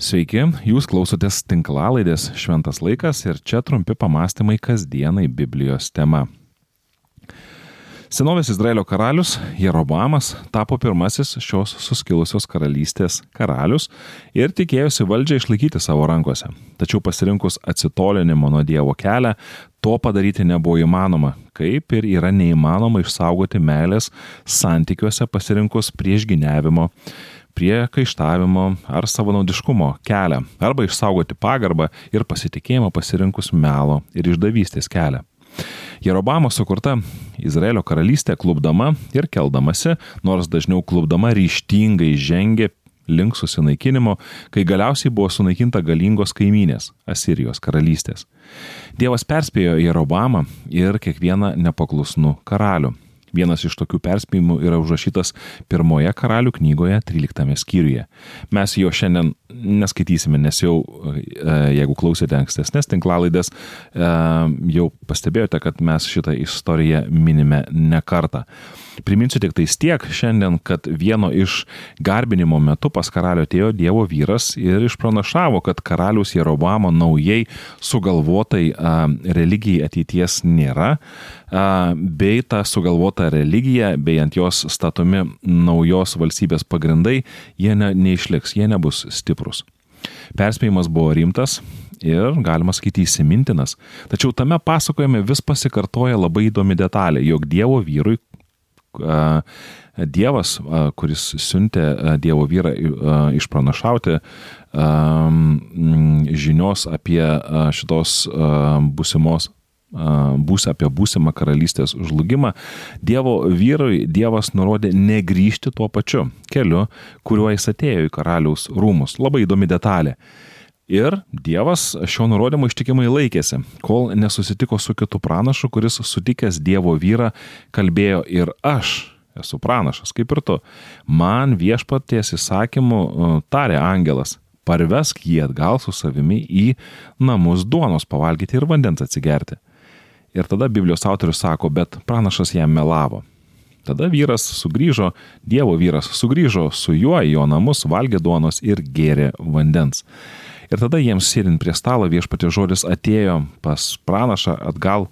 Sveiki, jūs klausotės tinklalaidės Šventas laikas ir čia trumpi pamastymai kasdienai Biblijos tema. Senovės Izraelio karalius Jeroboamas tapo pirmasis šios suskilusios karalystės karalius ir tikėjosi valdžią išlaikyti savo rankose. Tačiau pasirinkus atsitolinimo nuo Dievo kelią, to padaryti nebuvo įmanoma, kaip ir yra neįmanoma išsaugoti meilės santykiuose pasirinkus priešgyniavimo, priekaištavimo ar savanaudiškumo kelią, arba išsaugoti pagarbą ir pasitikėjimą pasirinkus melo ir išdavystės kelią. Jeroboamo sukurta Izraelio karalystė klupdama ir keldamasi, nors dažniau klupdama ryžtingai žengė link susinaikinimo, kai galiausiai buvo sunaikinta galingos kaimynės Asirijos karalystės. Dievas perspėjo Jeroboamą ir kiekvieną nepaklusnų karalių. Vienas iš tokių perspėjimų yra užrašytas pirmoje karalių knygoje 13 skyriuje. Mes jo šiandien neskaitysime, nes jau, jeigu klausėte ankstesnės tinklalaidės, jau pastebėjote, kad mes šitą istoriją minime ne kartą. Priminsiu tik tais tiek šiandien, kad vieno iš garbinimo metu pas karalių atėjo Dievo vyras ir išpranašavo, kad karaliaus Jeroboamo naujai sugalvotai religijai ateities nėra, bei ta sugalvota religija, bei ant jos statomi naujos valstybės pagrindai, jie neišliks, jie nebus stiprus. Perspėjimas buvo rimtas ir, galima sakyti, įsimintinas. Tačiau tame pasakojime vis pasikartoja labai įdomi detalė, jog Dievo vyrui, Dievas, kuris siuntė Dievo vyrą išpranašauti žinios apie šitos apie būsimą karalystės žlugimą, Dievo vyrui Dievas nurodė negrįžti tuo pačiu keliu, kuriuo jis atėjo į karaliaus rūmus. Labai įdomi detalė. Ir Dievas šio nurodymo ištikimai laikėsi, kol nesusitiko su kitu pranašu, kuris sutikęs Dievo vyrą kalbėjo: ir aš esu pranašas, kaip ir tu. Man viešpaties įsakymu tarė angelas: parvesk jį atgal su savimi į namus duonos pavalgyti ir vandens atsigerti. Ir tada Biblijos autorius sako, bet pranašas jam melavo. Tada Dievo vyras sugrįžo su juo į jo namus, valgė duonos ir gėrė vandens. Ir tada jiems sėdint prie stalo viešpaties žodis atėjo pas pranašą atgal,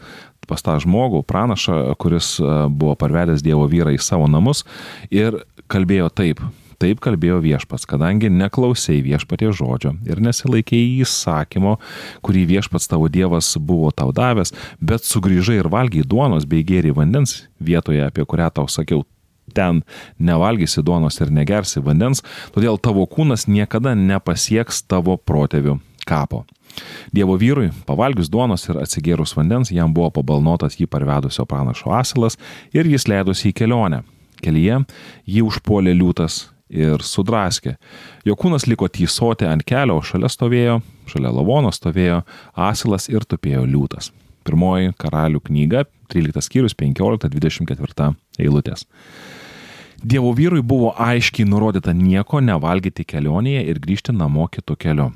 pas tą žmogų, pranašą, kuris buvo parvedęs Dievo vyrą į savo namus ir kalbėjo taip. Taip kalbėjo viešpats, kadangi neklausei viešpaties žodžio ir nesilaikei įsakymo, kurį viešpats tavo Dievas buvo tau davęs, bet sugrįžai ir valgiai duonos bei gėrei vandens vietoje, apie kurią tau sakiau, ten nevalgysi duonos ir negersi vandens, todėl tavo kūnas niekada nepasieks tavo protėvių kapo. Dievo vyrui, pavalgius duonos ir atsigėrus vandens, jam buvo pabalnotas jį parvedusio pranašo asilas ir jis leidosi į kelionę. Kelyje jį užpuolė liūtas ir sudraskė. Jo kūnas liko tysoti ant kelio, o šalia lavono stovėjo asilas ir tupėjo liūtas. Pirmoji karalių knyga, 13 skyrius, 15-24 eilutės. Dievo vyrui buvo aiškiai nurodyta nieko nevalgyti kelionėje ir grįžti namo kitu keliu.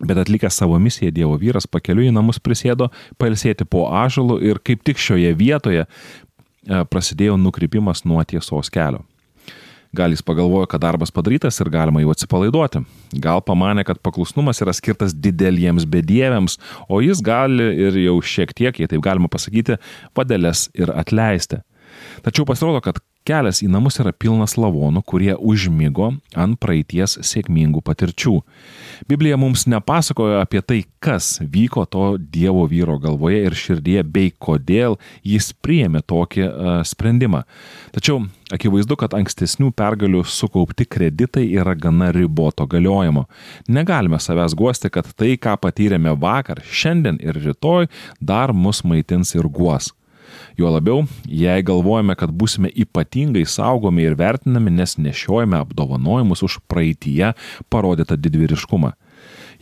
Bet atlikęs savo misiją, Dievo vyras pakeliui į namus prisėdo pailsėti po ąžuolu ir kaip tik šioje vietoje prasidėjo nukrypimas nuo tiesos kelio. Gal jis pagalvojo, kad darbas padarytas ir galima jau atsipalaiduoti. Gal pamanė, kad paklusnumas yra skirtas dideliems bedieviams, o jis gali ir jau šiek tiek, jei taip galima pasakyti, padelės ir atleisti. Tačiau pasirodo, kad kelias į namus yra pilnas lavonų, kurie užmigo ant praeities sėkmingų patirčių. Biblija mums nepasakojo apie tai, kas vyko to Dievo vyro galvoje ir širdyje, bei kodėl jis priėmė tokį sprendimą. Tačiau akivaizdu, kad ankstesnių pergalių sukaupti kreditai yra gana riboto galiojimo. Negalime savęs guosti, kad tai, ką patyrėme vakar, šiandien ir rytoj, dar mus maitins ir guos. Juo labiau, jei galvojame, kad būsime ypatingai saugomi ir vertinami, nes nešiojame apdovanojimus už praeityje parodytą didvyriškumą.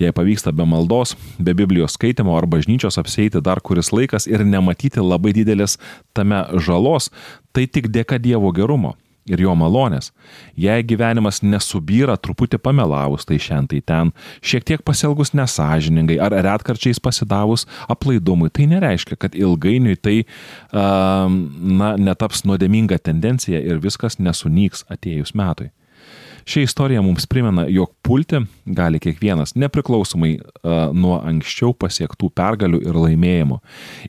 Jei pavyksta be maldos, be Biblijos skaitimo ar bažnyčios apsieiti dar kuris laikas ir nematyti labai didelės tame žalos, tai tik dėka Dievo gerumo ir jo malonės. Jei gyvenimas nesubyra truputį pamelavus, tai šiandien tai ten, šiek tiek pasielgus nesąžiningai ar retkarčiais pasidavus aplaidumui, tai nereiškia, kad ilgainiui tai netaps nuodėminga tendencija ir viskas nesunyks atėjus metui. Ši istorija mums primena, jog pulti gali kiekvienas, nepriklausomai nuo anksčiau pasiektų pergalių ir laimėjimų.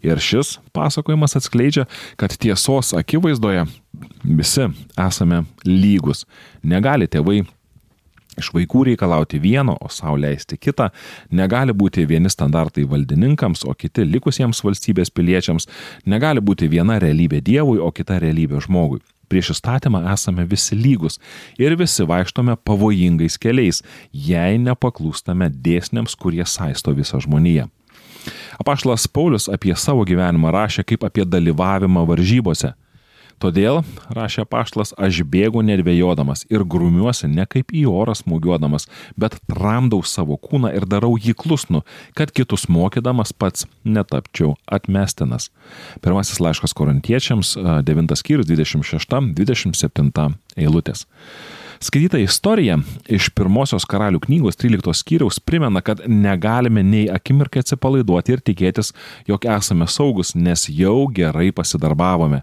Ir šis pasakojimas atskleidžia, kad tiesos akivaizdoje visi esame lygus. Negali tėvai iš vaikų reikalauti vieno, o sau leisti kitą. Negali būti vieni standartai valdininkams, o kiti likusiems valstybės piliečiams. Negali būti viena realybė Dievui, o kita realybė žmogui. Prieš įstatymą esame visi lygus ir visi vaikštome pavojingais keliais, jei nepaklūstame dėsniams, kurie saisto visą žmoniją. Apaštalas Paulius apie savo gyvenimą rašė kaip apie dalyvavimą varžybose. Todėl, rašė apaštalas, aš bėgu nedvejodamas ir grumiuosi ne kaip į orą smūgiuodamas, bet tramdau savo kūną ir darau jį klusnų, kad kitus mokydamas pats netapčiau atmestinas. Pirmasis laiškas Korintiečiams, 9 skyrius, 26-27 eilutės. Skaityta istorija iš pirmosios Karalių knygos 13 skyriaus primena, kad negalime nei akimirkai atsipalaiduoti ir tikėtis, jog esame saugus, nes jau gerai pasidarbavome.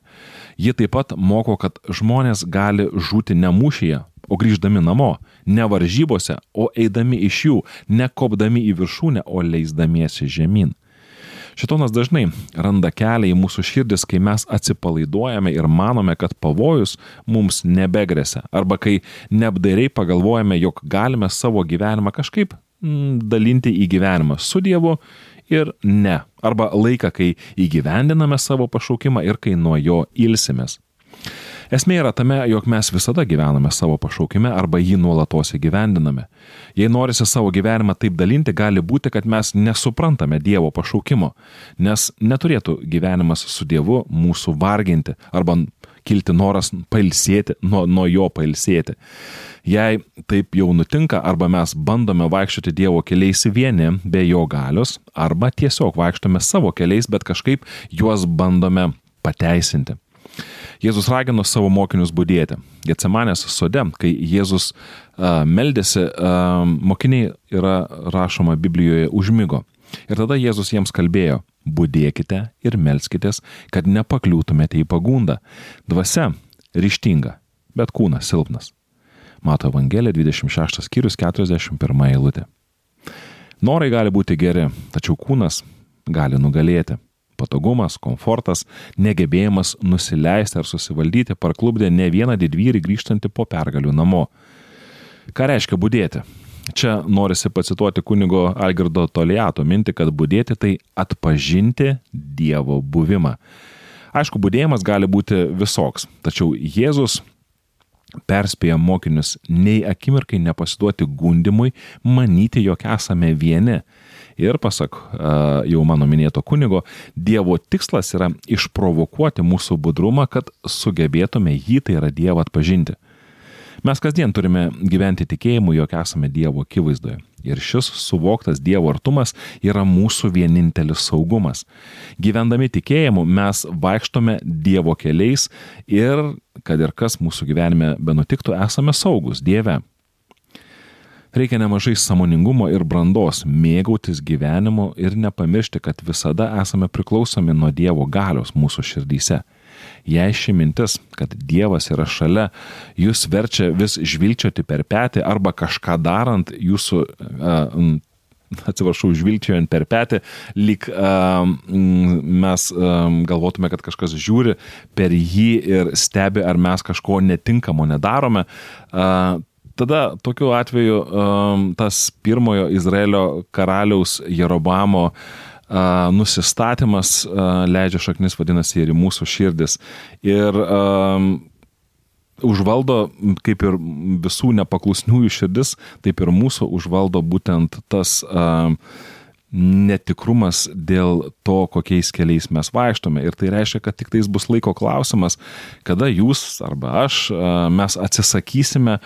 Ji taip pat moko, kad žmonės gali žūti ne mūšyje, o grįždami namo, ne varžybose, o eidami iš jų, ne kopdami į viršūnę, o leisdamiesi žemyn. Šėtonas dažnai randa kelią į mūsų širdis, kai mes atsipalaiduojame ir manome, kad pavojus mums nebegresia, arba kai neapdairiai pagalvojame, jog galime savo gyvenimą kažkaip dalinti į gyvenimą su Dievu ir ne, arba laiką, kai įgyvendiname savo pašaukimą ir kai nuo jo ilsimės. Esmė yra tame, jog mes visada gyvename savo pašaukime arba jį nuolatos įgyvendiname. Jei norisi savo gyvenimą taip dalinti, gali būti, kad mes nesuprantame Dievo pašaukimo, nes neturėtų gyvenimas su Dievu mūsų varginti arba kilti noras pailsėti, nuo jo pailsėti. Jei taip jau nutinka, arba mes bandome vaikščioti Dievo keliais vieni be jo galios, arba tiesiog vaikštome savo keliais, bet kažkaip juos bandome pateisinti. Jėzus ragino savo mokinius budėti. Getsemanės sode, kai Jėzus meldėsi, mokiniai yra rašoma Biblijoje užmigo. Ir tada Jėzus jiems kalbėjo: budėkite ir melskitės, kad nepakliūtumėte į pagundą. Dvasia ryžtinga, bet kūnas silpnas. Mato Evangelija 26 skyrius 41 eilutė. Norai gali būti geri, tačiau kūnas gali nugalėti. Patogumas, komfortas, negebėjimas nusileisti ar susivaldyti parklupdė ne vieną didvyrį grįžtantį po pergalių namo. Ką reiškia budėti? Čia norisi pacituoti kunigo Algirdo Toliato mintį, kad budėti tai atpažinti Dievo buvimą. Aišku, budėjimas gali būti visoks, tačiau Jėzus perspėja mokinius nei akimirkai nepasiduoti gundimui, manyti, jog esame vieni. Ir pasak jau mano minėto kunigo, Dievo tikslas yra išprovokuoti mūsų budrumą, kad sugebėtume jį, tai yra Dievą, atpažinti. Mes kasdien turime gyventi tikėjimu, jog esame Dievo akivaizdoje. Ir šis suvoktas Dievo artumas yra mūsų vienintelis saugumas. Gyvendami tikėjimu mes vaikštome Dievo keliais ir, kad ir kas mūsų gyvenime benutiktų, esame saugus Dieve. Reikia nemažai sąmoningumo ir brandos mėgautis gyvenimu ir nepamiršti, kad visada esame priklausomi nuo Dievo galios mūsų širdyse. Jei ši mintis, kad Dievas yra šalia, jūs verčia vis žvilgčioti per petį arba kažką darant jūsų, žvilgčiojant per petį, lyg mes galvotume, kad kažkas žiūri per jį ir stebi, ar mes kažko netinkamo nedarome, tada tokiu atveju tas pirmojo Izraelio karaliaus Jeroboamo nusistatymas leidžia šaknis, vadinasi, ir į mūsų širdis. Ir užvaldo, kaip ir visų nepaklusniųjų širdis, taip ir mūsų užvaldo būtent tas netikrumas dėl to, kokiais keliais mes vaikštome. Ir tai reiškia, kad tik tais bus laiko klausimas, kada jūs arba aš, mes atsisakysime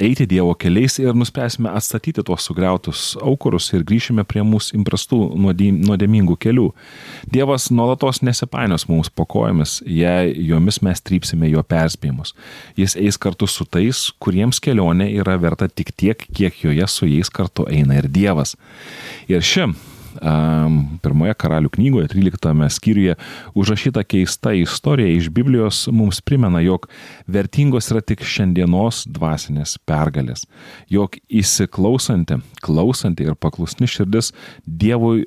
eiti Dievo keliais ir nuspręsime atstatyti tuos sugriautus aukurus ir grįšime prie mūsų įprastų nuodėmingų kelių. Dievas nuolatos nesipainios mums po kojomis, jei jomis mes trypsime jo perspėjimus. Jis eis kartu su tais, kuriems kelionė yra verta tik tiek, kiek joje su jais kartu eina ir Dievas. Ir ši pirmoje Karalių knygoje, 13 skyriuje, užrašyta keista istorija iš Biblijos mums primena, jog vertingos yra tik šiandienos dvasinės pergalės, jog įsiklausanti, klausanti ir paklusni širdis Dievui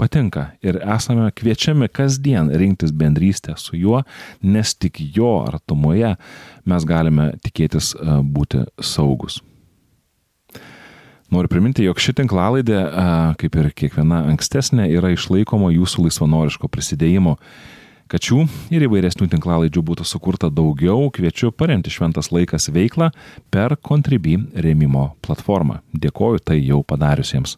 patinka ir esame kviečiami kasdien rinktis bendrystę su juo, nes tik jo artumoje mes galime tikėtis būti saugus. Noriu priminti, jog ši tinklalaidė, kaip ir kiekviena ankstesnė, yra išlaikoma jūsų laisvanoriško prisidėjimo. Kad šių ir įvairesnių tinklalaidžių būtų sukurta daugiau, kviečiu paremti Šventas laikas veiklą per Contribui rėmimo platformą. Dėkoju tai jau padariusiems.